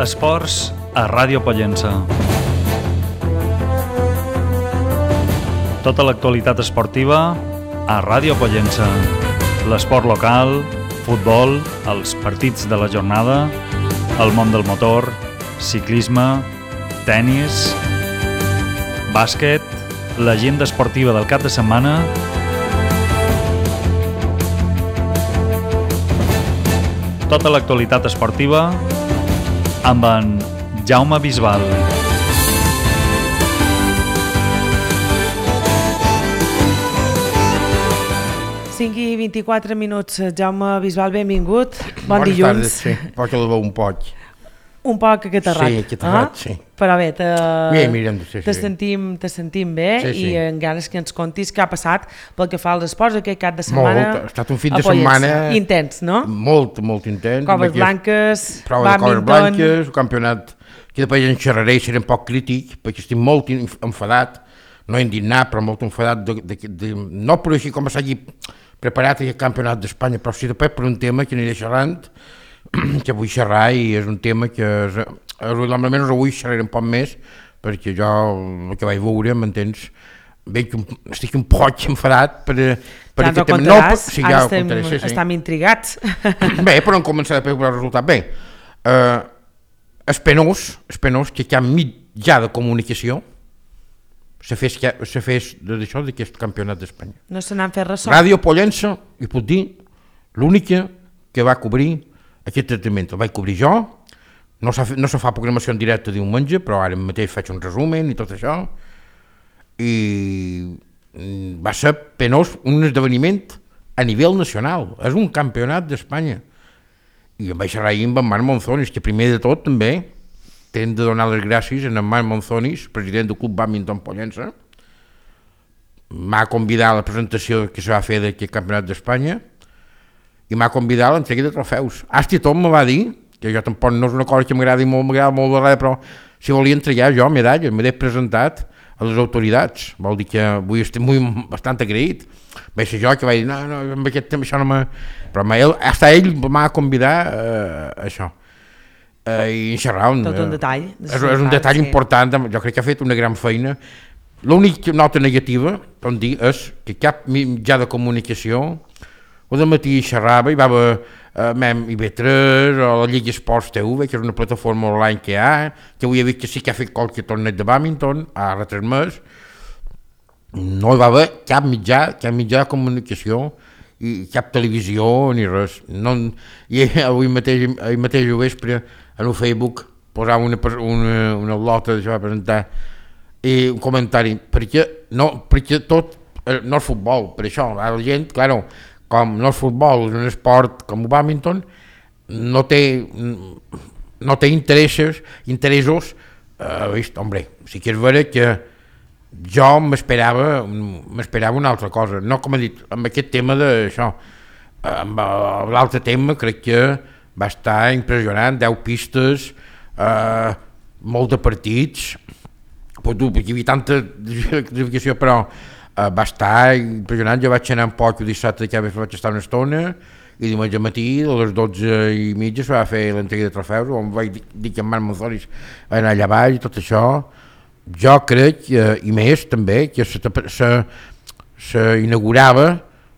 Esports a Ràdio Pollença. Tota l'actualitat esportiva a Ràdio Pollença. L'esport local, futbol, els partits de la jornada, el món del motor, ciclisme, tennis, bàsquet, l'agenda esportiva del cap de setmana, tota l'actualitat esportiva amb en Jaume Bisbal. Cinc i 24 minuts. Jaume Bisbal, benvingut. Bon dilluns. Bones tardes, sí. Poc el veu un poc. Un poc acatarrat. Sí, acatarrat, sí. Però bé, te sentim bé, sí. I en ganes que ens contis què ha passat pel que fa als esports aquest cap de setmana. Molt, ha estat un fin de setmana intens, no? Molt intens. Coves blanques, prova de coves blanques, un campionat que després en xerraré i seré un poc crític perquè estic molt enfadat, no indignat, però molt enfadat no per així com s'hagi preparat aquest campionat d'Espanya, però sí després per un tema que aniré xerrant, que vull xerrar, i és un tema que almenys avui xerraré un poc més perquè jo el que vaig veure, m'entens, estic un poc enfadat per ja ens ho contaràs, ara estem intrigats. Bé, però hem començat a veure el resultat. Bé, és penós que cap mitjà de comunicació se fes d'això, d'aquest campionat d'Espanya. No se n'han fet ressò. Ràdio Pollença, i puc dir, l'única que va cobrir aquest tractament. El vaig cobrir jo, no se fa programació en directe diumenge, però ara mateix faig un resumen i tot això, i va ser penós, un esdeveniment a nivell nacional, és un campionat d'Espanya. I em vaig xerrar ahir amb en Marc Monzonis, que primer de tot també hem de donar les gràcies a en Marc Monzonis, president del Club Bàdminton Pollença. M'ha convidat a la presentació que se va fer d'aquest campionat d'Espanya i m'ha convidat a l'entrega de trofeus. Hasta i tot me va dir, que jo tampoc no és una cosa que m'agrada molt de res, però si volia entregar jo medalles, m'he presentat a les autoritats, vol dir que avui estic bastant agraït. Vaig ser jo que vaig dir, no, amb aquest tema això no m'ha... Però ell m'ha convidat a això. I xerrar... Tot un detall. És un detall important, jo crec que ha fet una gran feina. L'única nota negativa, com dir, és que cap mitjà de comunicació o de matí xerrava, hi va haver IB3 o la Lliga Esports TV, que és una plataforma online que hi ha, que avui he vist que sí que ha fet qualque torneig de bàdminton, ha retransmès. No hi va haver cap mitjà de comunicació i cap televisió ni res. I avui mateix al vespre en el Facebook posava una lota que va presentar i un comentari, perquè tot no és futbol, per això la gent, clar, com no és futbol, és un esport com el bàdminton, no té interessos, hombre, sí que és vera que jo m'esperava una altra cosa, no com he dit, amb aquest tema d'això, amb l'altre tema crec que va estar impressionant, 10 pistes, molt de partits, perquè hi havia tanta classificació, però va estar impressionant. Jo vaig anar un poc el dissabte, que vaig estar una estona, i diumenge matí a les 12:30 se va fer l'entrega de trofeus, on vaig dir que en Marc Monzonis va anar allà baix i tot això. Jo crec, i més també, que s'inaugurava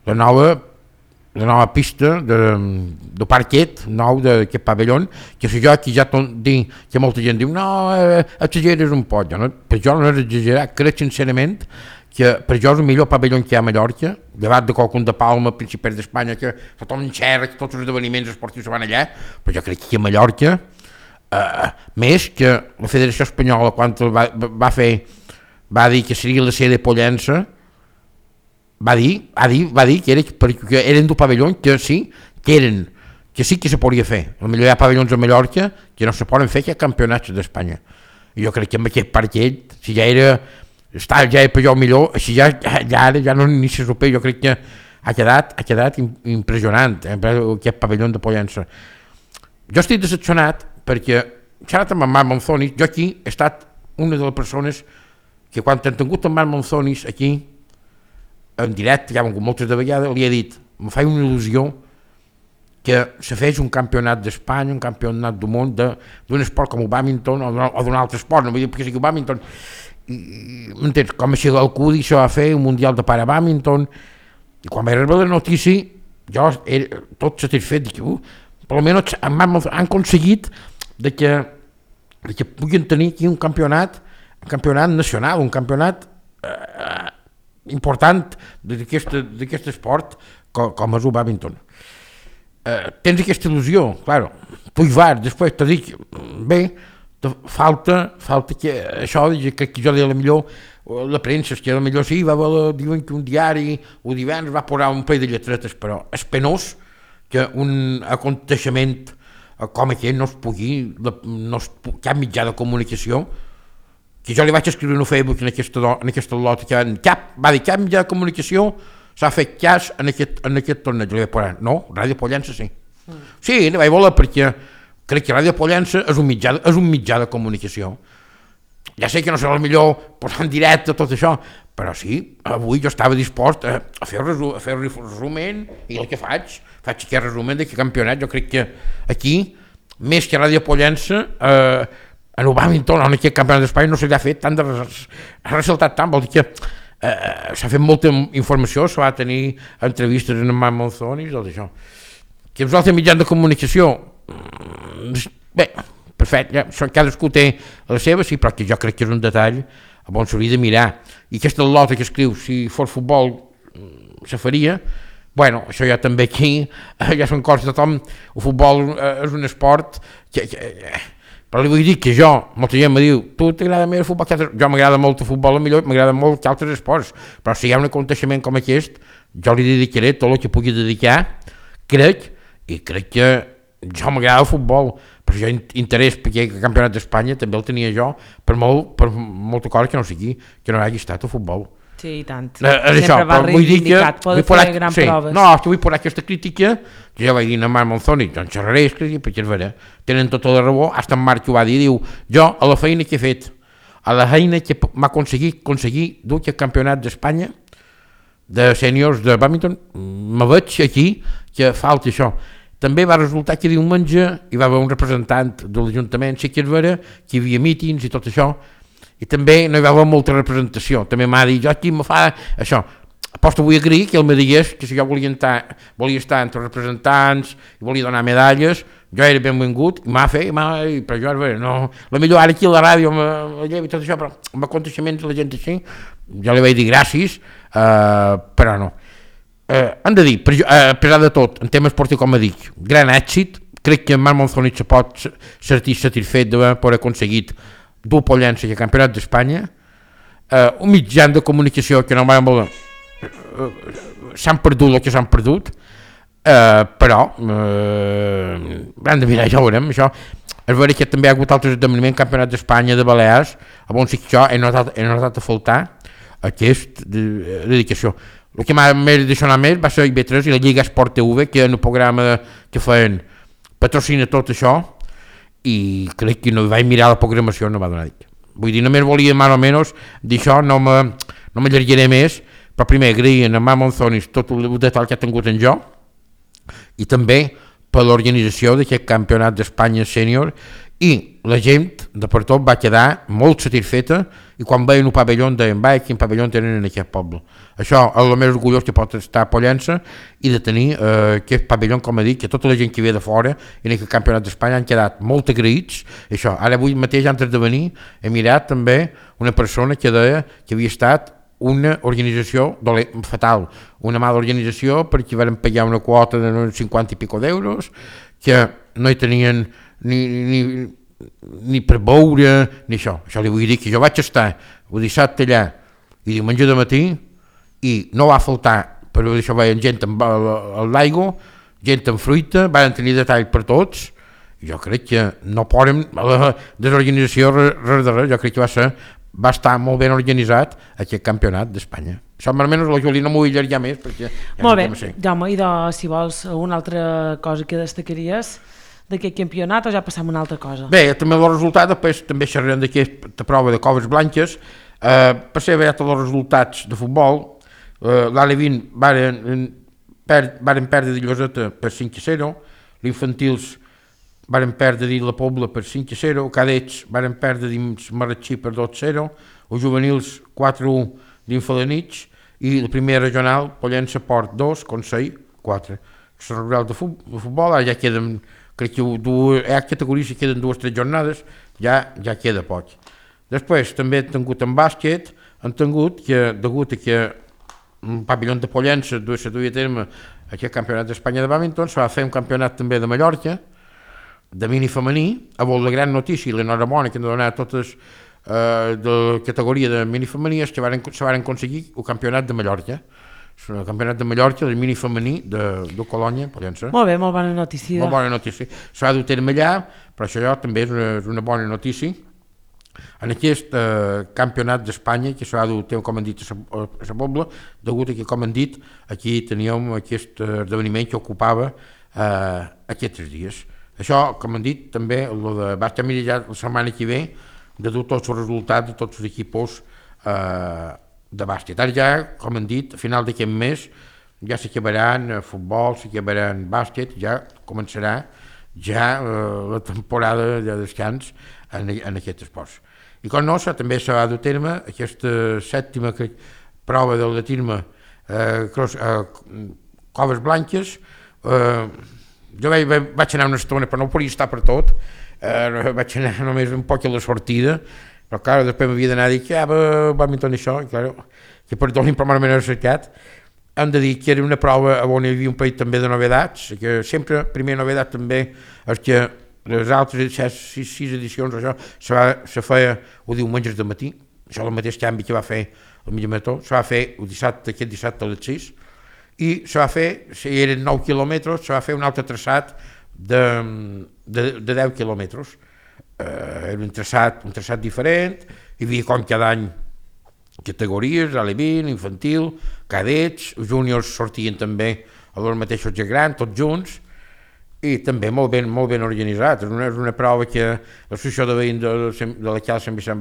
la nova pista de parquet nou d'aquest pavelló, que si jo aquí ja dic que molta gent diu no, exageres un poc, per jo no és exagerar, crec sincerament que per jo és el millor pavelló que hi ha a Mallorca, llevat de qualcun de Palma, Principat d'Espanya, que tothom xerra, que tots els esdeveniments esportius se van allà, però jo crec que a Mallorca, més que la Federació Espanyola, quan va dir que seria la sede de Pollença, va dir que eren d'un pavelló que sí que se podia fer. Potser hi ha pavellons a Mallorca que no se poden fer que campionats d'Espanya. I jo crec que amb aquest parquet, si ja era per jo millor, així ja no ni se supera, jo crec que ha quedat impressionant aquest pavelló de Pollença. Jo estic decepcionat perquè, xerrat amb en Marc Monzonis, jo aquí he estat una de les persones que quan he tingut en Marc Monzonis aquí, en directe, ja hem hagut moltes de vegades, li he dit, em fa una il·lusió que se fes un campionat d'Espanya, un campionat del món d'un esport com el bàdminton o d'un altre esport, no vull dir perquè sigui el bàdminton, m'entens? Com així l'Alcudi se va fer un mundial de parabàdminton, i quan vaig rebre la notícia jo era tot satisfet, dic, per almenys han aconseguit que puguin tenir aquí un campionat nacional, un campionat important d'aquest esport com és el bàdminton. Tens aquesta il·lusió, clar, tu hi vas, després t'ho dic, bé, falta que això, crec que jo deia millor la premsa, que millor sí, diuen que un diari o divendres va posar un parell de lletretes, però és penós que un aconteixement com aquest no es pugui, cap mitjà de comunicació, que jo li vaig escriure en Facebook en aquesta lota, que cap mitjà de comunicació s'ha fet cas en aquest torneig. Li vaig posar, no, Ràdio Pollença sí. Sí, li vaig voler perquè crec que Ràdio Pollença és un mitjà de comunicació. Ja sé que no serà el millor posar en directe tot això, però sí, avui jo estava dispost a fer un resumen, i el que faig aquest resumen d'aquest campionat. Jo crec que aquí, més que Ràdio Pollença, en el bàdminton o en aquest campionat d'Espanya no se li ha fet tant de ressaltat tant, vol dir que s'ha fet molta informació, se va tenir entrevistes en Marc Monzón i tot això. Que els altres mitjans de comunicació, bé, perfecte, cadascú té la seva, sí, però que jo crec que és un detall on s'hauria de mirar. I aquesta lota que escriu, si fos futbol se faria, bueno, això ja també aquí, ja són coses de tothom, el futbol és un esport que però li vull dir que molta gent me diu, tu t'agrada més el futbol que altres? Jo m'agrada molt el futbol, millor m'agrada molt que altres esports, però si hi ha un aconteixement com aquest, jo li dedicaré tot el que pugui dedicar, crec que jo m'agrada el futbol, però jo interès perquè el campionat d'Espanya també el tenia jo, per molta cosa que no sigui, que no hagi estat el futbol. Sí, i tant. Això, però vull dir que poder fer grans proves. No, és que vull posar aquesta crítica, que ja vaig dir a Marc Monzón i jo en xerraré, perquè és vera, tenen tota la raó, hasta en Marc ho va dir, diu, jo a la feina que he fet, a la feina que m'ha aconseguir dur aquest campionat d'Espanya de sèniors de bàdminton, me veig aquí que falta això. També va resultar que diumenge hi va haver un representant de l'Ajuntament, sí que és vera, que hi havia mítings i tot això, i també no hi va haver molta representació. També m'ha dit, jo aquí me fa això. Aposto vull agrair que ell me digués que si jo volia estar entre representants i volia donar medalles, jo era benvingut, i m'ha fet, però jo, no, la millor ara aquí a la ràdio me lleva i tot això, però amb aconteixements de la gent així, jo li vaig dir gràcies, però no. Han de dir, a pesar de tot, en tema esportiu, com dic, gran èxit, crec que Marc Monzón se pot sentir satisfet d'haver aconseguit dur Pollença al campionat d'Espanya, un mitjà de comunicació que no van voler, s'han perdut el que s'han perdut, però han de mirar, ja ho veurem, això. És vera que també hi ha hagut altres esdeveniments, campionat d'Espanya de Balears, on sí que jo he notat a faltar aquesta dedicació. El que m'ha deixat més va ser IB3 i la Lliga Esport TV, que en el programa que feien patrocina tot això, i crec que no vaig mirar la programació, no va donar dit. Vull dir, només volia més o menys d'això, no m'allargaré més, però primer agrair a Marc Monzón tot el detall que ha tingut en jo, i també per l'organització d'aquest campionat d'Espanya sènior, i la gent de per tot va quedar molt satisfeta, i quan veien un pavelló deien, quin pavelló tenen en aquest poble. Això és el més orgullós que pot estar a Pollença, i de tenir aquest pavelló, com he dit, que tota la gent que ve de fora en aquest campionat d'Espanya han quedat molt agraïts. Això, ara avui mateix, antes de venir, he mirat també una persona que deia que havia estat una organització fatal, una mala organització, perquè van pagar una quota de 50 i pico d'euros, que no hi tenien ni per veure, ni això. Això li vull dir que jo vaig estar el dissabte allà i diumenge de matí, i no va faltar, però això veien gent amb l'aigua, gent amb fruita, van tenir detall per tots. Jo crec que no poden la desorganització res de res. Jo crec que va estar molt ben organitzat aquest campionat d'Espanya. Això almenys la Júlia no m'ho vull allargar més perquè molt bé, Jaume, i si vols una altra cosa que destacaries d'aquest campionat o ja passam a una altra cosa? Bé, també el resultat, després també xerrarem d'aquesta prova de coves blanques. Per ser veure tots els resultats de futbol, l'Ale 20 varen perdre de Lloseta per 5-0, L'infantils varen perdre dins la Pobla per 5-0, cadets varen perdre dins Marratxí per 2-0, els juvenils 4-1 dins Falanitx i la primera regional Pollença Port 2, Consell 4. La rural de futbol, ara ja queden, crec que hi ha categories que queden 2 o 3 jornades, ja queda poc. Després també han tingut en bàsquet, han tingut que, degut a que un pavelló de Pollença se duia a terme aquest campionat d'Espanya de bàdminton, se va fer un campionat també de Mallorca, de mini femení, a la gran notícia i l'enhorabona que han donat totes de categoria de mini femení és que se van aconseguir el campionat de Mallorca. El campionat de Mallorca, del mini femení de Colònia, Pollença. Molt bé, molt bona notícia. Molt bona notícia. Se va dur a terme allà, però això també és una bona notícia. En aquest campionat d'Espanya, que s'ha de dur, com han dit, a la Pobla, degut a que, com han dit, aquí teníem aquest esdeveniment que ocupava aquests 3 dies. Això, com han dit, també va estar ja la setmana que ve de dur tots els resultats de tots els equips de bàsquet. Ara ja, com han dit, a final d'aquest mes ja s'acabaran futbol, s'acabaran bàsquet, ja començarà ja la temporada de descans en aquests esports. I com no, també s'ha de terme aquesta 7ª prova del atletisme Coves Blanques. Jo vaig anar una estona, però no podia estar per tot, vaig anar només un poc a la sortida, però clar, després m'havia d'anar a dir que bàdminton això, i clar, que perdonin per m'ho he cercat. Hem de dir que era una prova on hi havia un país també de novedats, que sempre, primera novedat també, és que les altres 6 edicions això se feia el diumenges de matí, això és el mateix canvi que va fer el Mitjà Marató, se va fer aquest dissabte a les 6, i se va fer, si eren 9 quilòmetres, se va fer un altre traçat de 10 quilòmetres. Era un traçat diferent, hi havia com cada any categories, alevín, infantil, cadets, els júniors sortien també a els mateixos de gran, tots junts, i també molt ben organitzat. És una prova que l'associació de veïns de la Cal Sant Vicent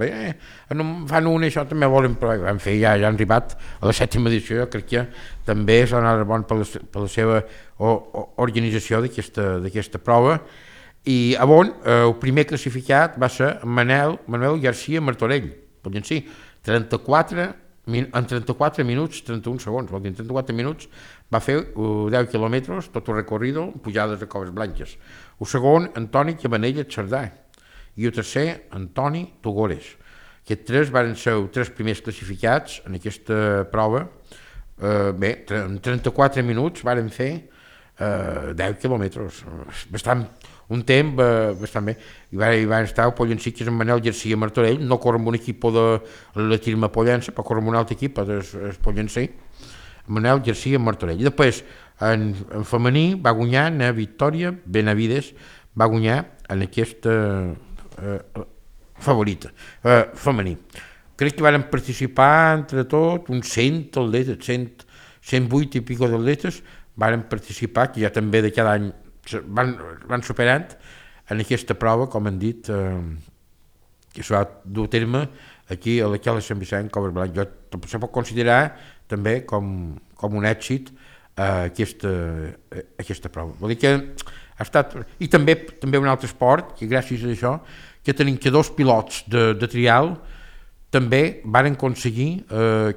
fan una i això també volen provar. En fi, ja han arribat a la 7ª edició, jo crec que també s'ha anat bon per la seva organització d'aquesta prova. I a on el primer classificat va ser Manuel García Martorell, Pollencí, en 34 minuts 31 segons, vol dir, en 34 minuts va fer 10 quilòmetres, tot el recorrido, pujades a Coves Blanques. El segon, Antoni Cabanella Xardà, i el tercer, Antoni Tugores. Aquests 3 van ser els 3 primers classificats en aquesta prova. Bé, en 34 minuts varen fer 10 quilòmetres, un temps bastant bé. Hi van estar el Pollencí, que és en Manel García Martorell, no corre amb un equip de l'atletisme Pollença, però corre amb un altre equip, del Pollencí, Manel García Martorell. I després, en femení, va guanyar a Victòria Benavides, va guanyar en aquesta favorita, femení. Crec que van participar entre tot uns 100 atletes, 108 i pico d'atletes van participar, que ja també de cada any van superant en aquesta prova, com han dit, que s'ha de dur a terme aquí a la Cala Sant Vicent, Coves Blanques. Se pot considerar també com un èxit aquesta prova. Vol dir que ha estat... I també un altre esport, que gràcies a això, que tenim que 2 pilots de trial també van aconseguir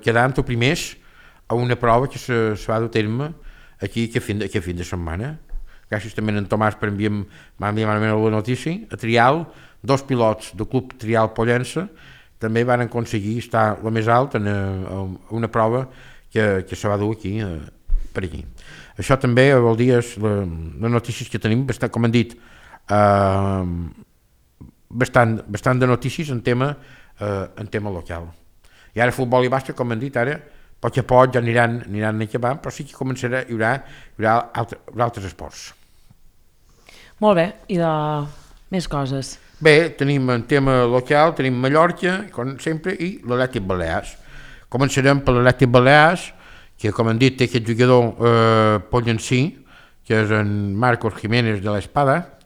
quedar entre primers a una prova que se va dur a terme aquí aquest fin de setmana. Gràcies també a en Tomàs per m'enviar la notícia. A trial, 2 pilots del Club Trial Pollença també van aconseguir estar el més alt en una prova que se va dur aquí, per aquí. Això també vol dir les notícies que tenim, com han dit, bastant de notícies en tema local. I ara futbol i bàsquet, com han dit, ara a poc ja aniran acabant, però sí que començarà, hi haurà altres esports. Molt bé, i de més coses? Bé, tenim en tema local, tenim Mallorca, com sempre, i l'Atlètic Balears. Començarem per l'Atlètic Balears, que com han dit té aquest jugador pollencí, que és en Marcos Jiménez de l'Espada,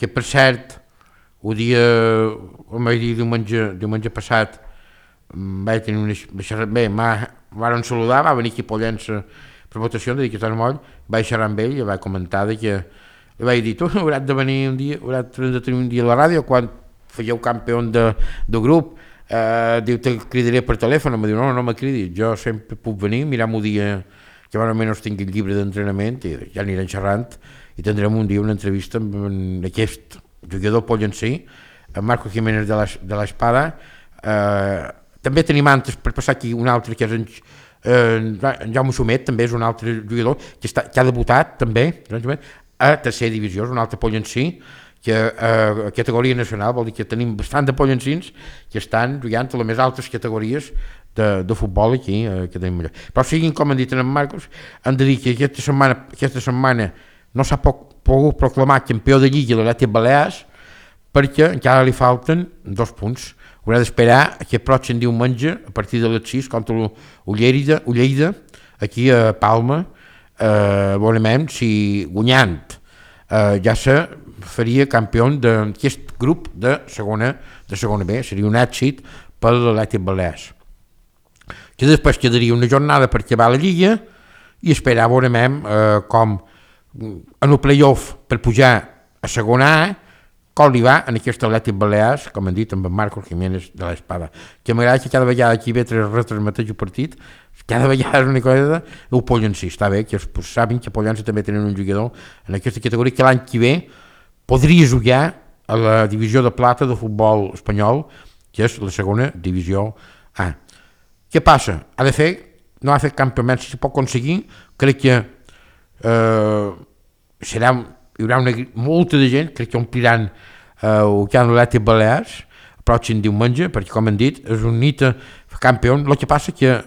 que per cert, diumenge passat, vaig tenir una xerrada, bé, m'han saludar, va venir aquí a Pollença per votació, de dir que està moll, vaig xerrar amb ell i vaig comentar que li vaig dir, tu hauràs de venir un dia, hauràs de tenir un dia a la ràdio quan fèieu campió de grup, diu, te cridaré per telèfon, em diu, no me cridis, jo sempre puc venir, mirar-m'ho dia que almenys tingui el llibre d'entrenament i ja anirem xerrant i tindrem un dia una entrevista amb aquest jugador pollencí, en Marco Jiménez de l'Espada. També tenim antes per passar aquí un altre que és en Jaume Xumet, també és un altre jugador que ha debutat també a tercera divisió, és un altre pollencí que a categoria nacional, vol dir que tenim bastant de pollencins que estan jugant a les més altes categories de futbol aquí, que tenim allà. Però siguin, com han dit en Marcos, han de dir que aquesta setmana no s'ha pogut proclamar campió de Lliga de l'Atlètic Balears perquè encara li falten 2 punts. Haurà d'esperar aquest pròxim diumenge a partir de les 6 contra Lleida, aquí a Palma, veurem si guanyant ja se faria campió d'aquest grup de segona B, seria un èxit per l'Atlètic Balears. Que després quedaria una jornada per acabar la Lliga i esperar veurem com en el play-off per pujar a segona A, com li va en aquest Atlètic Balears, com han dit, amb en Marcos Jiménez de l'Espada, que m'agrada que cada vegada aquí ve retransmeteix el partit, cada vegada és una cosa del Pollencí, està bé, que saben que Pollença també tenen un jugador en aquesta categoria que l'any que ve podria jugar a la divisió de plata de futbol espanyol, que és la segona divisió A. Què passa? No ha fet campionat, si pot aconseguir, crec que hi haurà molta de gent, crec que ompliran el camp de l'Atlètic Balears el pròxim diumenge, perquè com han dit és un nit a campió. El que passa que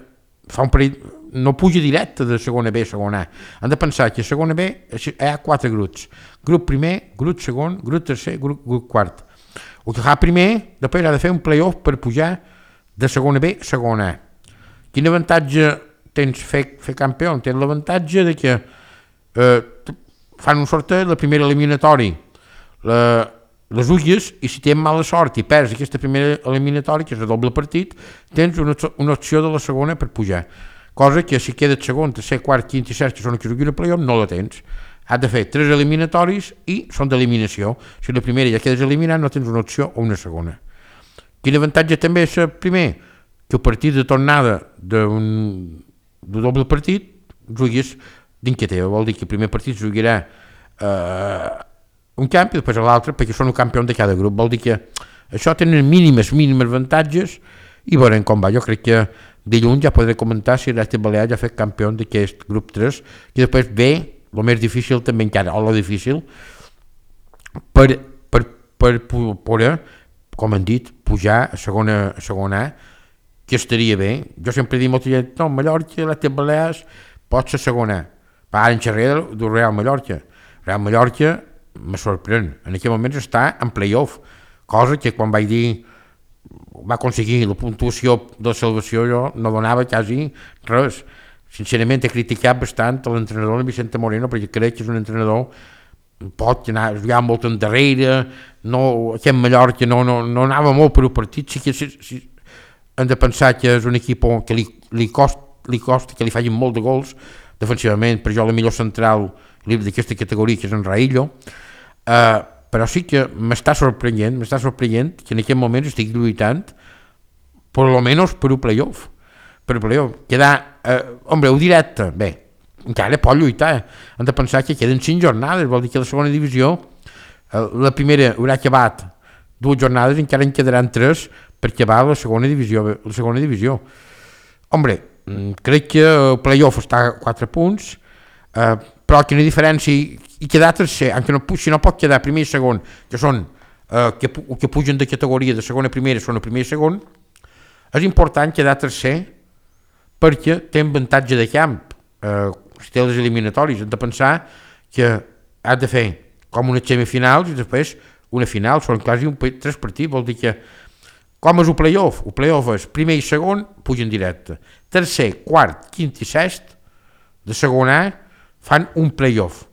fa un parell, no puja directe de segona B a segona A. Han de pensar que a segona B hi ha 4 grups, grup primer, grup segon, grup tercer, grup quart. El que fa primer, després ha de fer un play-off per pujar de segona B a segona A. Quin avantatge tens fer campió? Tens l'avantatge de que fan un sorteig, la primera eliminatori les ulles, i si tens mala sort i perds aquesta primera eliminatori, que és el doble partit, tens una opció de la segona per pujar, cosa que si quedes segon, tercer, quart, quint i sexta, que són els que juguen a play-off, no la tens. Has de fer 3 eliminatoris i són d'eliminació. Si la primera ja quedes eliminat, no tens una opció o una segona. Quin avantatge també és primer? Que el partit de tornada d'un doble partit juguis d'inquieteu, vol dir que el primer partit jugarà un camp i després l'altre perquè són el campió de cada grup, vol dir que això tenen mínimes avantatges i veurem com va. Jo crec que dilluns ja podré comentar si l'Atlètic Balears ja ha fet campió d'aquest grup 3 i després ve el més difícil també encara, o el difícil per poder, com han dit, pujar a segona A, que estaria bé. Jo sempre dic molta gent, no, Mallorca, l'Atlètic Balears pot ser segona. Ara en xerré del Real Mallorca. Real Mallorca me sorprèn. En aquell moment està en play-off, cosa que quan vaig dir va aconseguir la puntuació de salvació jo no donava quasi res. Sincerament he criticat bastant l'entrenador Vicente Moreno perquè crec que és un entrenador pot anar a jugar molt endarrere, aquest Mallorca no anava molt per un partit, sí que hem de pensar que és un equip que li costa que li facin molt de gols defensivament, per jo la millor central d'aquesta categoria que és en Raillo, però sí que m'està sorprenent que en aquest moment estic lluitant per almenys per un play-off, quedar ho directe, bé, encara pot lluitar, hem de pensar que queden 5 jornades, vol dir que la segona divisió la primera haurà acabat 2 jornades, encara en quedaran 3 per acabar la segona divisió. Crec que el play-off està a 4 punts, però que no hi ha diferència i quedar tercer, si no pot quedar primer i segon, que són que pugen de categoria de segona a primera, són el primer i segon, és important quedar tercer perquè té avantatge de camp. Si té les eliminatòries, hem de pensar que has de fer com unes semifinals i després una final, són quasi 3 partits, vol dir que com és el play-off? El play-off és primer i segon, pugen directe. Tercer, quart, quint i sest, de segona A, fan un play-off.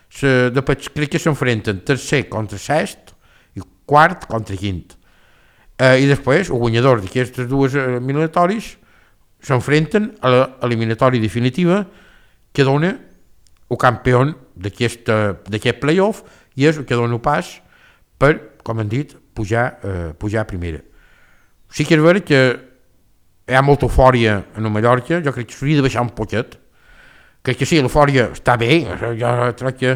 Després crec que s'enfrenten tercer contra sest i quart contra quint. I després, el guanyador d'aquestes 2 eliminatoris s'enfrenten a l'eliminatòria definitiva que dona el campió d'aquest playoff i és el que dona pas per, com hem dit, pujar a primera. Sí que és vera que hi ha molta eufòria en el Mallorca, jo crec que s'hauria de baixar un poquet. Crec que sí, l'eufòria està bé, jo crec que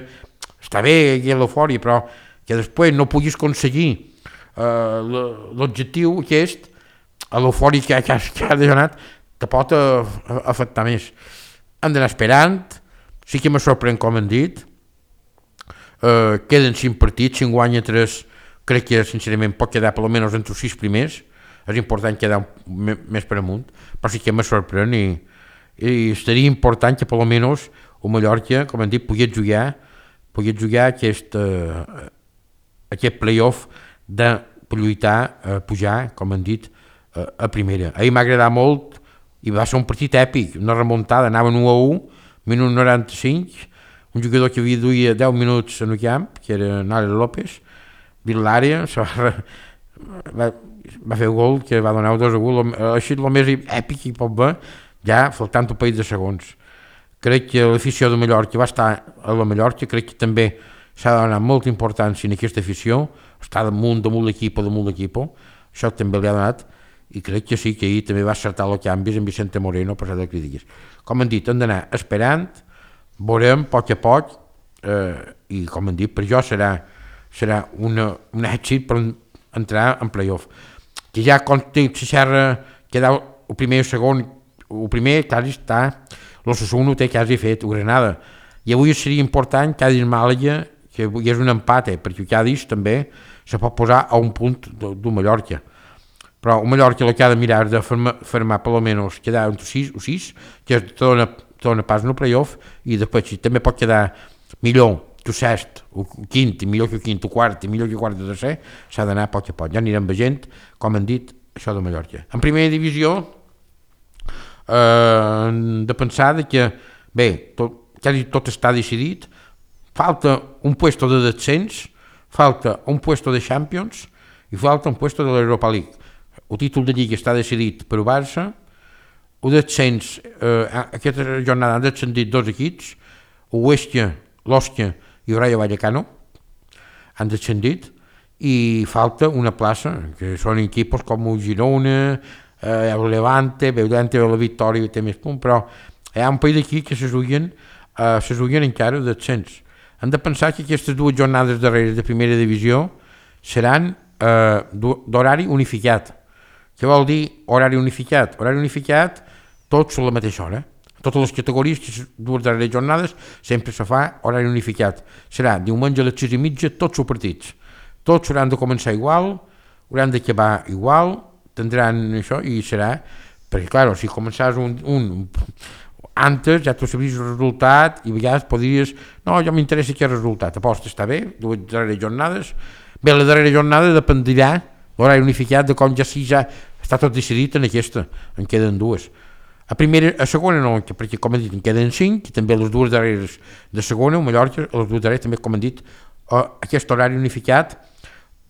està bé l'eufòria, però que després no puguis aconseguir l'objectiu aquest, l'eufòria que ha donat, te pot afectar més. Hem d'anar esperant, sí que me sorprèn com hem dit, queden 5 partits, si en guanya 3, crec que sincerament pot quedar per almenys entre els 6 primers, és important quedar més per amunt, però sí que me sorprèn i seria important que per almenys el Mallorca, com hem dit, pogués jugar aquest playoff per lluitar a pujar, com hem dit, a primera. Ahir m'ha agradat molt i va ser un partit èpic, una remuntada, anaven 1-1, minut 95, un jugador que havia duia 10 minuts en el camp, que era Nara López, dins l'àrea, va fer el gol que va donar 2-1, així el més èpic que hi pot haver, ja faltant un parell de segons. Crec que l'afició de Mallorca va estar a la Mallorca, crec que també s'ha de donar molta importància en aquesta afició, està damunt l'equip, això també li ha donat, i crec que sí, que ahir també va acertar els canvis en Vicente Moreno, per de crítiques. Com hem dit, hem d'anar esperant, veurem poc a poc, i com hem dit, per jo serà un èxit per entrar en playoff. Que ja conté la xerra, quedar el primer i el segon, el primer quasi està, l'Osasuna ho té quasi fet, o Granada, i avui seria important Cádiz Màlaga, que hi és un empat, perquè Cádiz també se pot posar a un punt del Mallorca. Però el Mallorca el que ha de mirar de fermar per almenys quedar entre 6 o 6, que te dona pas en el playoff, i després si també pot quedar millor que el sest, o quint, i millor que el quint, o quart, i millor que el quart de tercer, s'ha d'anar a poc a poc. Ja anirem veient, com hem dit, això de Mallorca. En primera divisió, de pensar que, bé, quasi tot està decidit, falta un puesto de descens, falta un puesto de Champions i falta un puesto de l'Europa League. El títol de Lliga està decidit per el Barça, el descens, aquesta jornada han descendit 2 equips, el Huesca, l'Osca i el Rayo Vallecano, han descendit, i falta una plaça, que són equipos com el Girona, el Levante, la Victòria té més punt, però hi ha un parell d'aquí que se juguen encara el descens. Hem de pensar que aquestes 2 jornades darreres de primera divisió seran d'horari unificat. Què vol dir horari unificat? Horari unificat, tots a la mateixa hora. Totes les categories, les 2 darreres jornades, sempre se fa horari unificat. Serà diumenge a les 6:30, tots els partits. Tots hauran de començar igual, hauran d'acabar igual, tindran això i serà, perquè clar, si començàs un antes ja tu sabries el resultat i a vegades podries, no, jo m'interessa aquest resultat, aposta, està bé, 2 darreres jornades, bé, la darrera jornada dependirà l'horari unificat de com ja està tot decidit en aquesta, en queden 2. A segona no, perquè com hem dit en queden 5, i també les 2 darreres de segona, o Mallorca, les 2 darreres també com hem dit, aquest horari unificat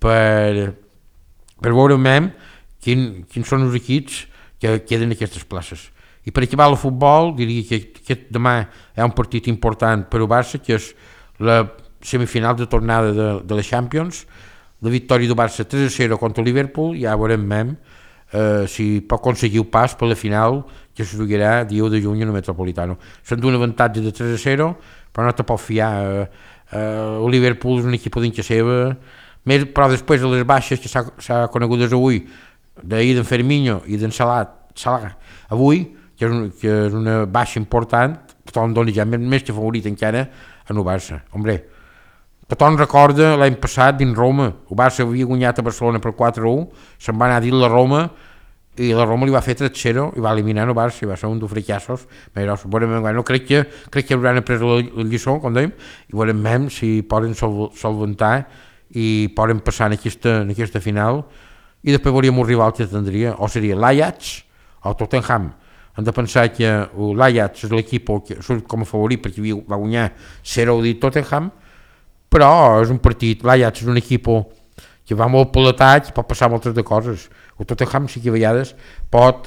per veure quins són els equips que queden en aquestes places. I per acabar el futbol, diria que demà hi ha un partit important per al Barça, que és la semifinal de tornada de la Champions, la victòria del Barça 3-0 contra el Liverpool, ja veurem si pot aconseguir el pas per la final, que se jugarà dia 1 de juny en el Metropolitano. Són d'un avantatge de 3-0, però no te pot fiar. El Liverpool és un equip dintre seva, però després de les baixes que s'ha conegut avui, d'ahir d'en Ferminho i d'en Salah, avui, que és una baixa important, tothom dona ja més que favorit encara en el Barça. Hombre, tothom recorda l'any passat dins Roma, el Barça havia guanyat a Barcelona per 4-1, se'n va anar a dir la Roma, i la Roma li va fer 3-0 i va eliminar el Barça, i va ser un dels fracassos. No, crec que hauran après la lliçó, com dèiem, i veurem si poden solventar i poden passar en aquesta final, i després veuríem un rival que tindria, o seria l'Ajax o Tottenham. Hem de pensar que l'Ajax és l'equip que surt com a favorit perquè va guanyar 0 dit Tottenham, però és un partit, l'Ajax és un equip que va molt per l'atac i pot passar moltes de coses. El Tottenham sí que a vegades pot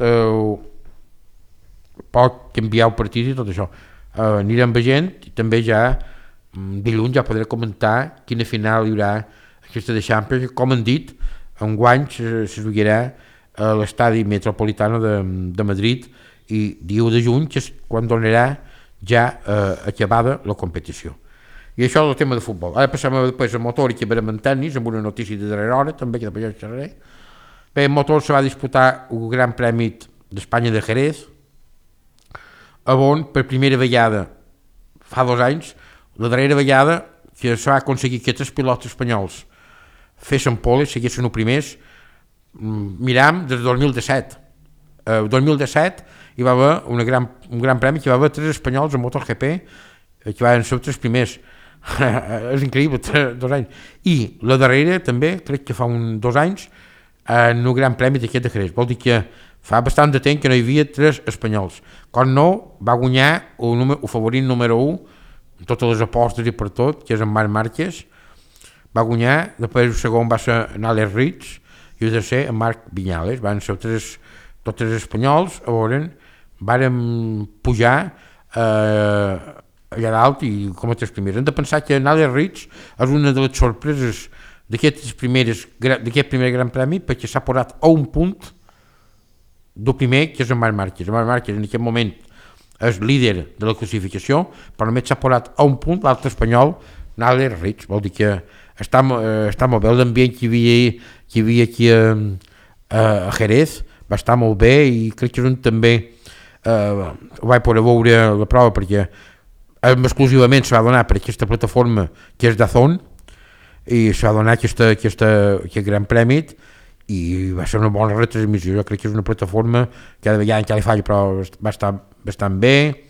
canviar el partit i tot això. anirem veient i també ja dilluns ja podré comentar quina final hi haurà aquesta de Champions, com han dit, enguany se jugarà a l'estadi Metropolitano de Madrid i dia 1 de juny, que és quan donarà ja acabada la competició. I això és el tema de futbol. Ara passem després a motor i que verem en tennis, amb una notícia de darrera hora, també, que després ja xerraré. Bé, en motor se va disputar el Gran Premi d'Espanya de Jerez, on per primera vegada, fa 2 anys, la darrera vegada que se va aconseguir que 3 pilots espanyols fessin pole, seguissin els primers, miram des del 2017. El 2017 hi va haver un gran premi que hi va haver 3 espanyols en MotoGP que van ser els 3 primers. És increïble, 2 anys. I la darrera també, crec que fa 2 anys, en un gran premi d'aquest de Jerez. Vol dir que fa bastant de temps que no hi havia 3 espanyols. Com no, va guanyar el favorit número 1, totes les apostes i per tot, que és en Marc Márquez. Va guanyar, després el segon va ser en Alex Rins i el tercer en Marc Viñales. Van ser tots 3 espanyols, varen pujar allà dalt i com a 3 primers. Hem de pensar que en Alex Rins és una de les sorpreses d'aquest primer gran premi, perquè s'ha posat a un punt del primer, que és en Marc Márquez. En Marc Márquez en aquest moment és líder de la classificació, però només s'ha posat a un punt l'altre espanyol, Alex Rins. Vol dir que està molt bé l'ambient que hi havia aquí a Jerez, va estar molt bé, i crec que és on també ho vaig poder veure la prova, perquè exclusivament se va donar per aquesta plataforma que és DAZN, i se va donar aquest gran premi i va ser una bona retransmissió. Jo crec que és una plataforma que cada vegada encara li falla, però va estar bastant bé.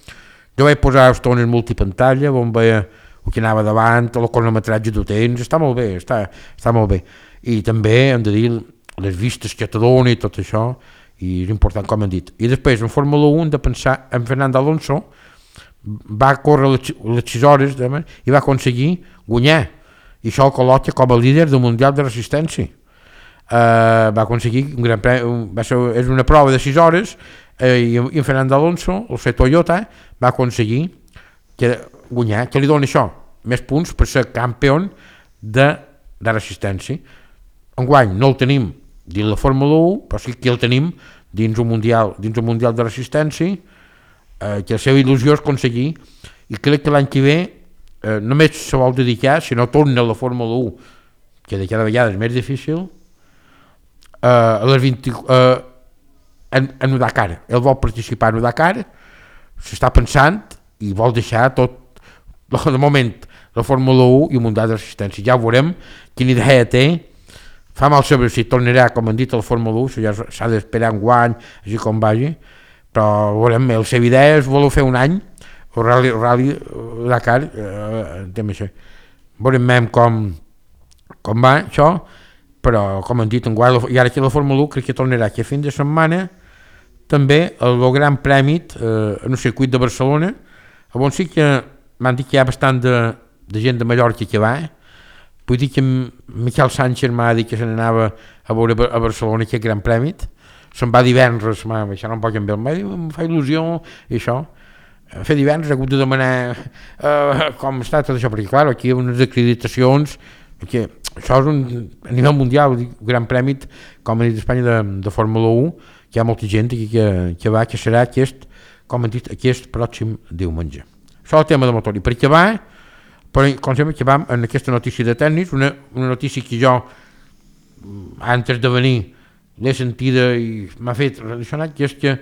Jo vaig posar estones multipantalla on veia el que anava davant, el cronometratge del temps, està molt bé, està molt bé. I també hem de dir les vistes que te dona i tot això, i és important, com hem dit. I després en Fórmula 1 hem de pensar en Fernando Alonso, va córrer les 6 hores i va aconseguir guanyar, i això el col·loca com a líder del Mundial de Resistència. Va aconseguir un gran premi, és una prova de 6 hores, i en Fernando Alonso, el seu Toyota, va aconseguir guanyar. Què li dona això? Més punts per ser campió de Resistència. Enguany no el tenim dins la Fórmula 1, però sí que el tenim dins el Mundial de Resistència, que la seva il·lusió és aconseguir, i crec que l'any que ve només se vol dedicar, si no torna a la Fórmula 1, que de cada vegada és més difícil, en Dakar. Ell vol participar en Dakar, s'està pensant i vol deixar tot, de moment, la Fórmula 1 i el Mundial de Resistència. Ja veurem quina idea té. Fa mal saber si tornarà, com han dit, a la Fórmula 1, ja s'ha d'esperar un guany, així com vagi, però veurem, la seva idea és voler fer un any el Rally Dakar, veurem com va això, però com han dit, i ara que la Fórmula 1 crec que tornarà aquest fin de setmana també el Gran Premi en el circuit de Barcelona, on sí que m'han dit que hi ha bastant de gent de Mallorca que va. Vull dir que Miquel Sánchez m'ha dit que se n'anava a veure a Barcelona aquest Gran Premi, se'n va divendres, això no em pot canviar, em fa il·lusió i això. Fer divendres he hagut de demanar com està tot això, perquè clar, aquí hi ha unes acreditacions, perquè això és a nivell mundial, Gran Premi, com ha dit Espanya, de Fórmula 1, que hi ha molta gent aquí que va, que serà com han dit, aquest pròxim diumenge. Això és el tema de motor. I per què va? Com sempre que vam en aquesta notícia de tennis, una notícia que jo, antes de venir, l'he sentida i m'ha fet relacionar, que és que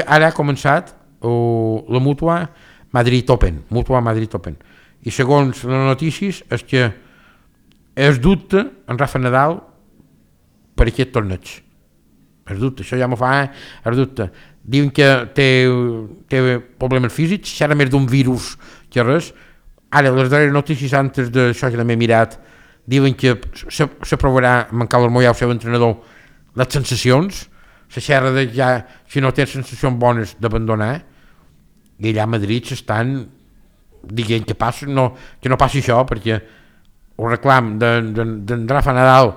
ara ha començat la Mutua Madrid Open, i segons les notícies és que es dubta en Rafa Nadal per aquest torneig. Es dubta, això ja m'ho fa, es dubta. Diuen que té problemes físics, serà més d'un virus que res. Ara, les darreres notícies antes d'això que també he mirat, diuen que s'aprovarà amb en Carlos Moya, el seu entrenador, les sensacions, la xerra de ja, si no té sensacions bones, d'abandonar, i allà a Madrid s'estan dient que no passi això, perquè el reclam d'en Rafa Nadal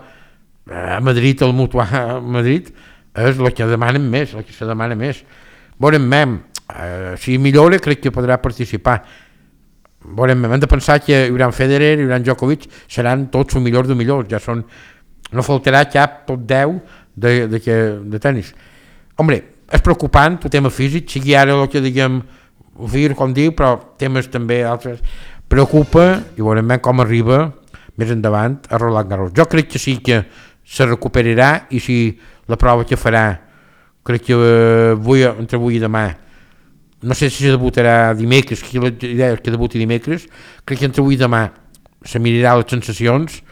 a Madrid, al Mutua a Madrid, és el que demanen més, el que se demana més. Veurem, si millora crec que podrà participar. Veurem, hem de pensar que hi haurà Federer, hi haurà Djokovic, seran tots els millors de millors, ja són, no faltarà cap top 10 de tenis. Hombre, és preocupant el tema físic, sigui ara el que diguem vir, com diu, però temes també altres, preocupa i veurem com arriba més endavant a Roland Garros. Jo crec que sí que se recuperarà i si la prova que farà, crec que entre avui i demà, no sé si debutarà dimecres, que la idea és que debuti dimecres, crec que entre avui i demà se mirarà les sensacions,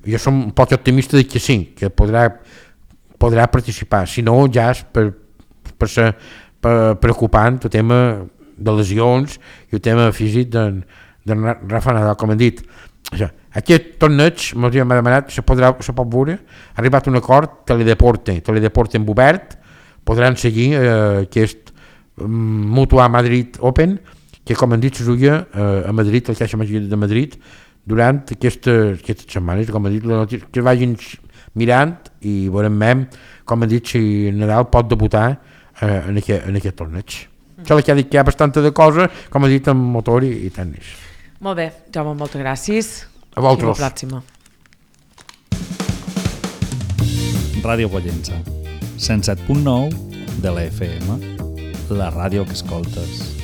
jo som un poc optimista de que sí, que podrà participar, si no ja és per ser preocupant el tema de lesions i el tema físic de Rafa Nadal, com hem dit. Aquest torneig, m'ha demanat, se pot veure, ha arribat un acord, Teledeporte en obert, podran seguir aquest Mutua Madrid Open, que com hem dit se juga a Madrid, al Caixa Màgic de Madrid, durant aquestes setmanes, com hem dit, que vagin mirant i veurem, com hem dit, si Nadal pot debutar en aquest torneig. Sembla que ha dit que hi ha bastanta de cosa, com ha dit, en motor i tenis. Molt bé, Jaume, moltes gràcies. A vosaltres. I la pròxima. Ràdio Pollença, 107.9 de la FM, la ràdio que escoltes.